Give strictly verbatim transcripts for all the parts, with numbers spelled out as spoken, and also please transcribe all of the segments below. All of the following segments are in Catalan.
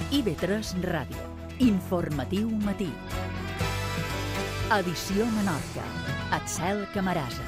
I V tres Ràdio. Informatiu matí. Edició Menorca. Axel Camarasa.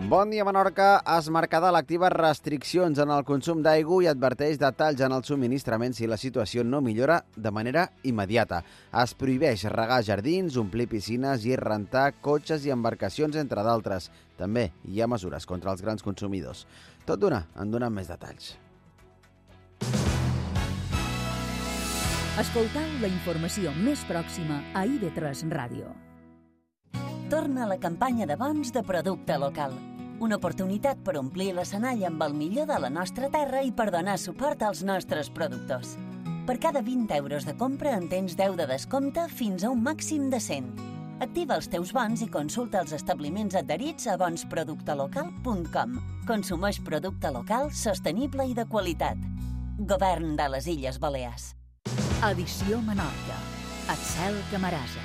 Bon dia, Menorca. Es Mercadal activa restriccions en el consum d'aigua i adverteix de talls en el subministrament si la situació no millora de manera immediata. Es prohibeix regar jardins, omplir piscines i rentar cotxes i embarcacions, entre d'altres. També hi ha mesures contra els grans consumidors. Tot d'una, en donem més detalls. Escoltau la informació més pròxima a I V tres Ràdio. Torna la campanya de bons de producte local. Una oportunitat per omplir l'escenari amb el millor de la nostra terra i per donar suport als nostres productors. Per cada vint euros de compra en tens deu de descompte fins a un màxim de cent. Activa els teus bons i consulta els establiments adherits a bons producte local punt com. Consumeix producte local, sostenible i de qualitat. Govern de les Illes Balears. Edició Menorca. Axel Camarasa.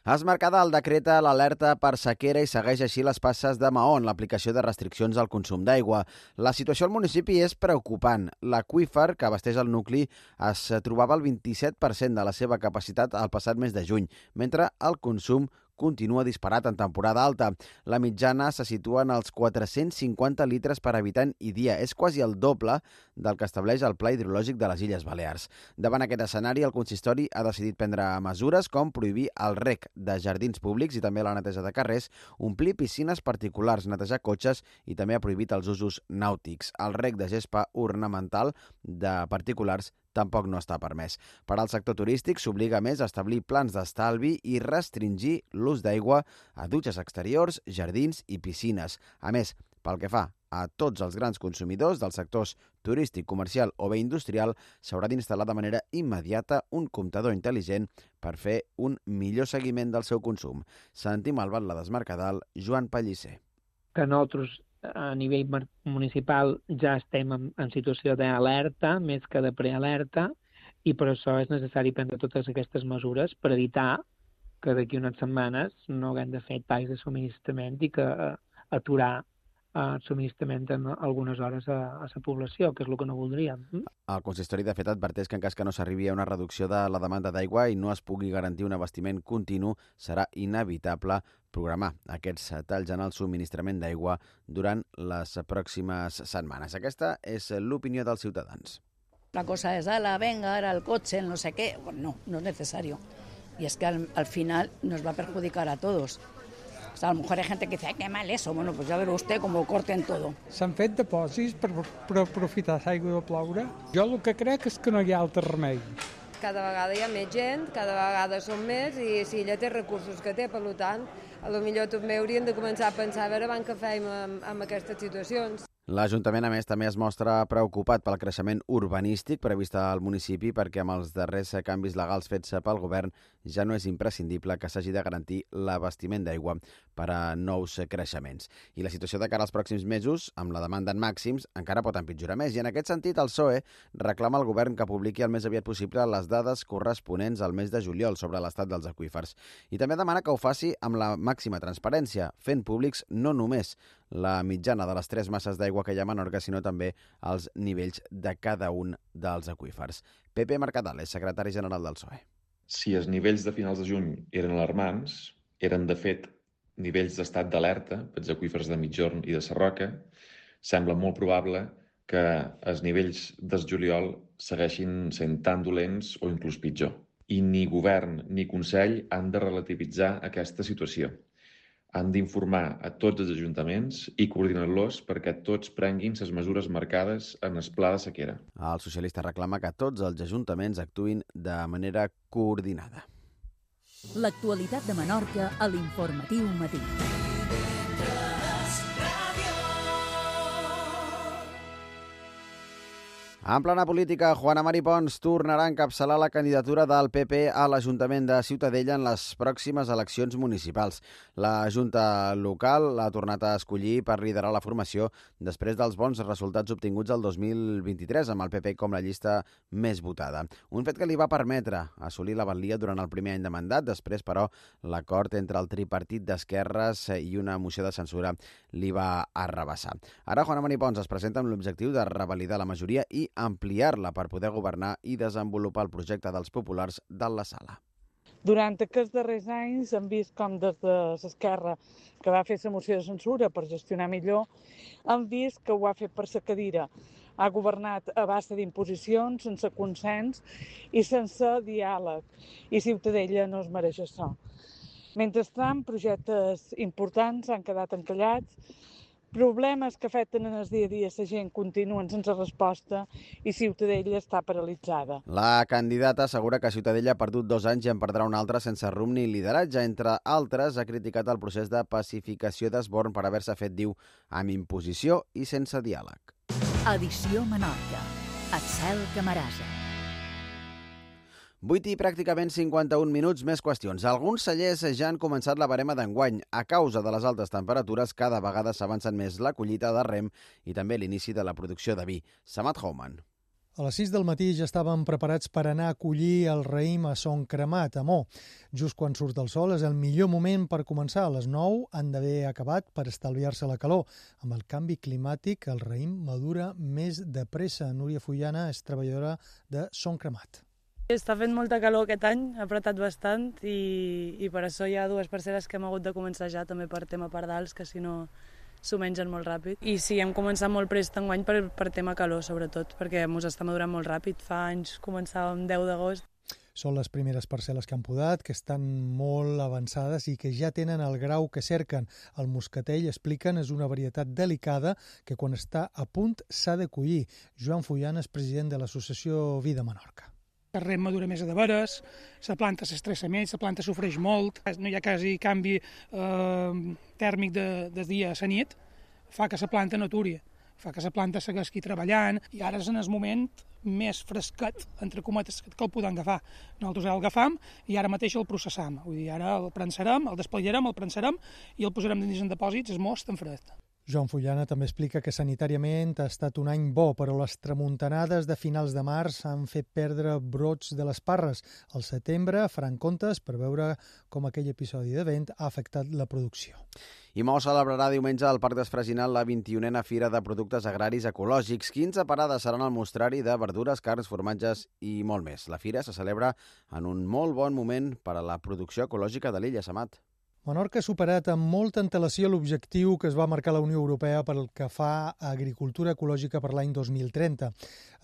Es Mercadal decreta l'alerta per sequera i segueix així les passes de Mahó en l'aplicació de restriccions al consum d'aigua. La situació al municipi és preocupant. L'aqüífer, que abasteix el nucli, es trobava al vint-i-set per cent de la seva capacitat el passat mes de juny, mentre el consum continua disparat en temporada alta. La mitjana se situa en els quatre-cents cinquanta litres per habitant i dia. És quasi el doble del que estableix el Pla Hidrològic de les Illes Balears. Davant aquest escenari, el consistori ha decidit prendre mesures com prohibir el rec de jardins públics i també la neteja de carrers, omplir piscines particulars, netejar cotxes i també ha prohibit els usos nàutics. El rec de gespa ornamental de particulars tampoc no està permès. Per al sector turístic s'obliga més a establir plans d'estalvi i restringir l'ús d'aigua a dutxes exteriors, jardins i piscines. A més, pel que fa a tots els grans consumidors dels sectors turístic, comercial o bé industrial, s'haurà d'instal·lar de manera immediata un comptador intel·ligent per fer un millor seguiment del seu consum. Sentim al batlle d'Es Mercadal, Joan Pellicer. Que nosaltres a nivell municipal ja estem en, en situació d'alerta, més que de prealerta, i per això és necessari prendre totes aquestes mesures per evitar que d'aquí unes setmanes no haguem de fer talls de subministrament i que uh, aturar el uh, subministrament en algunes hores a, a la població, que és el que no voldríem. Mm? El consistori, de fet, adverteix que en cas que no s'arribi a una reducció de la demanda d'aigua i no es pugui garantir un abastiment continu, serà inevitable programar aquests talls en el subministrament d'aigua durant les pròximes setmanes. Aquesta és l'opinió dels ciutadans. La cosa es, ala, venga, ahora el coche, el no sé qué. Bueno, no, no es necesario. Y es que al, al final nos va a perjudicar a todos. O sea, a lo mejor hay gente que dice, ay, qué mal eso. Bueno, pues ya verá usted cómo corten todo. S'han fet depòsits per, per aprofitar l'aigua de ploure. Jo el que crec és que no hi ha altre remei. Cada vegada hi ha més gent, cada vegada som més i si ella té recursos que té, per tant, a lo millor també hauríem de començar a pensar a veure abans què fem amb, amb aquestes situacions. L'Ajuntament, a més, també es mostra preocupat pel creixement urbanístic previst al municipi perquè amb els darrers canvis legals fets pel govern ja no és imprescindible que s'hagi de garantir l'abastiment d'aigua per a nous creixements. I la situació de cara als pròxims mesos, amb la demanda en màxims, encara pot empitjorar més. I en aquest sentit, el P S O E reclama al govern que publiqui el més aviat possible les dades corresponents al mes de juliol sobre l'estat dels aqüífers. I també demana que ho faci amb la màxima transparència, fent públics no només la mitjana de les tres masses d'aigua que hi ha a Menorca, sinó també els nivells de cada un dels aqüífers. Pepe Mercadal és secretari general del P S O E. Si els nivells de finals de juny eren alarmants, eren de fet nivells d'estat d'alerta pels aqüífers de Migjorn i de Sarroca, sembla molt probable que els nivells del juliol segueixin sent tan dolents o inclús pitjor. I ni govern ni Consell han de relativitzar aquesta situació. Han d'informar a tots els ajuntaments i coordinar-los perquè tots prenguin les mesures marcades en el pla de sequera. El socialista reclama que tots els ajuntaments actuïn de manera coordinada. L'actualitat de Menorca a l'Informatiu Matí. En plana política, Juana Mari Pons tornarà a encapçalar la candidatura del P P a l'Ajuntament de Ciutadella en les pròximes eleccions municipals. La Junta local l'ha tornat a escollir per liderar la formació després dels bons resultats obtinguts el dos mil vint-i-tres, amb el P P com la llista més votada. Un fet que li va permetre assolir la valia durant el primer any de mandat. Després, però, l'acord entre el tripartit d'esquerres i una moció de censura li va arrabassar. Ara Juana Mari Pons es presenta amb l'objectiu de revalidar la majoria i ampliar-la per poder governar i desenvolupar el projecte dels populars de la sala. Durant aquests darrers anys hem vist com des de l'esquerra, que va fer la moció de censura per gestionar millor, hem vist que ho ha fet per la cadira. Ha governat a base d'imposicions, sense consens i sense diàleg. I Ciutadella no es mereix això. Mentrestant, projectes importants han quedat encallats, problemes que afecten en el dia a dia la gent continuen sense resposta i Ciutadella està paralitzada. La candidata assegura que Ciutadella ha perdut dos anys i en perdrà un altre sense rumb ni lideratge. Entre altres, ha criticat el procés de pacificació d'Esborn per haver-se fet, diu, amb imposició i sense diàleg. Edició Menorca. Axel Camarasa. vuit i pràcticament cinquanta-un minuts, més qüestions. Alguns cellers ja han començat la barema d'enguany. A causa de les altes temperatures, cada vegada s'avancen més la collita de rem i també l'inici de la producció de vi. Samat Houman. A les sis del matí ja estàvem preparats per anar a collir el raïm a Son Cremat, a Mo. Just quan surt el sol és el millor moment per començar. A les nou han d'haver acabat per estalviar-se la calor. Amb el canvi climàtic, el raïm madura més de pressa. Núria Fullana és treballadora de Son Cremat. Està fent molta calor aquest any, ha apretat bastant i, i per això hi ha dues parcel·les que hem hagut de començar ja també per tema pardals, que si no s'ho mengen molt ràpid. I sí, hem començat molt prest enguany per, per tema calor, sobretot, perquè ens està madurant molt ràpid. Fa anys començàvem deu d'agost. Són les primeres parcel·les que han podat, que estan molt avançades i que ja tenen el grau que cerquen. El moscatell, expliquen, és una varietat delicada que quan està a punt s'ha de collir. Joan Fullana és president de l'associació Vida Menorca. El rem madura més de veres, la planta s'estressa més, la planta sofreix molt, no hi ha quasi canvi eh, tèrmic de, de dia a la nit, fa que la planta no aturi, fa que la planta segueixi treballant i ara és en el moment més fresquet, entre cometes, que el podem agafar. Nosaltres el agafam i ara mateix el processam, vull dir, ara el prensarem, el desplegarem, el prensarem i el posarem dins en depòsits, és most en fred. Joan Fullana també explica que sanitàriament ha estat un any bo, però les tramuntanades de finals de març han fet perdre brots de les parres. Al setembre faran comptes per veure com aquell episodi de vent ha afectat la producció. I Mo celebrarà diumenge al Parc d'Esfraginal la vint-i-unena Fira de Productes Agraris Ecològics. quinze parades seran al mostrari de verdures, carns, formatges i molt més. La fira se celebra en un molt bon moment per a la producció ecològica de l'illa, Samat. Menorca ha superat amb molta antelació l'objectiu que es va marcar la Unió Europea per el que fa a agricultura ecològica per l'any dos mil trenta.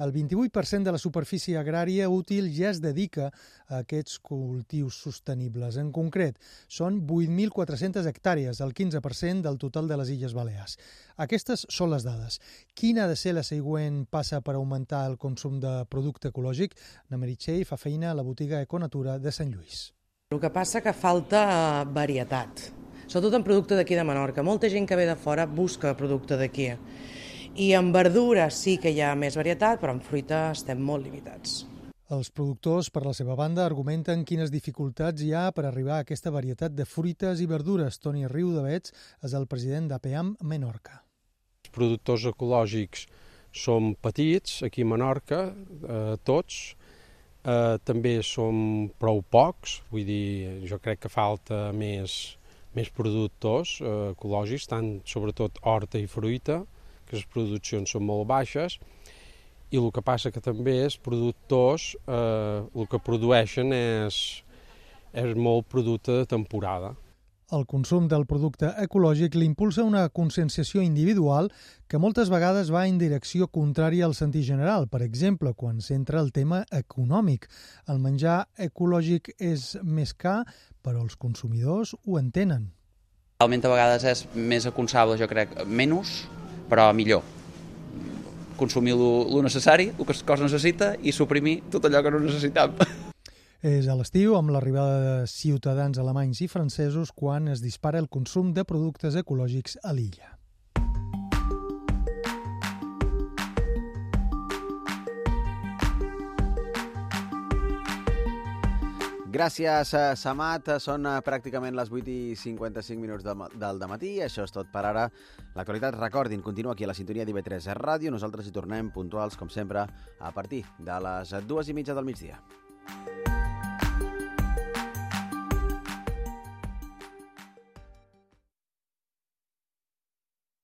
El vint-i-vuit per cent de la superfície agrària útil ja es dedica a aquests cultius sostenibles. En concret, són vuit mil quatre-centes hectàrees, el quinze per cent del total de les Illes Balears. Aquestes són les dades. Quina ha de ser la següent passa per augmentar el consum de producte ecològic? Na Meritxell fa feina a la botiga Econatura de Sant Lluís. El que passa que falta varietat, sobretot en producte d'aquí de Menorca. Molta gent que ve de fora busca producte d'aquí. I en verdures sí que hi ha més varietat, però en fruita estem molt limitats. Els productors, per la seva banda, argumenten quines dificultats hi ha per arribar a aquesta varietat de fruites i verdures. Toni Riudavets és el president d'APEAM Menorca. Els productors ecològics són petits, aquí a Menorca, eh, tots, Uh, també som prou pocs, vull dir, jo crec que falta més, més productors uh, ecològics, tant sobretot horta i fruita, que les produccions són molt baixes, i el que passa que també és productors, uh, el que produeixen és, és molt producte de temporada. El consum del producte ecològic l'impulsa una conscienciació individual que moltes vegades va en direcció contrària al sentit general. Per exemple, quan s'entra el tema econòmic. El menjar ecològic és més car, però els consumidors ho entenen. Realment a vegades és més aconsable, jo crec, menys, però millor. Consumir el necessari, el que el cos necessita, i suprimir tot allò que no necessitam. És a l'estiu, amb l'arribada de ciutadans alemanys i francesos, quan es dispara el consum de productes ecològics a l'illa. Gràcies, Samat. Són pràcticament les vuit i cinquanta-cinc minuts del dematí. Això és tot per ara. L'actualitat, recordin, continua aquí a la sintonia d'I V tres Ràdio. Nosaltres hi tornem puntuals, com sempre, a partir de les dues i mitja del migdia.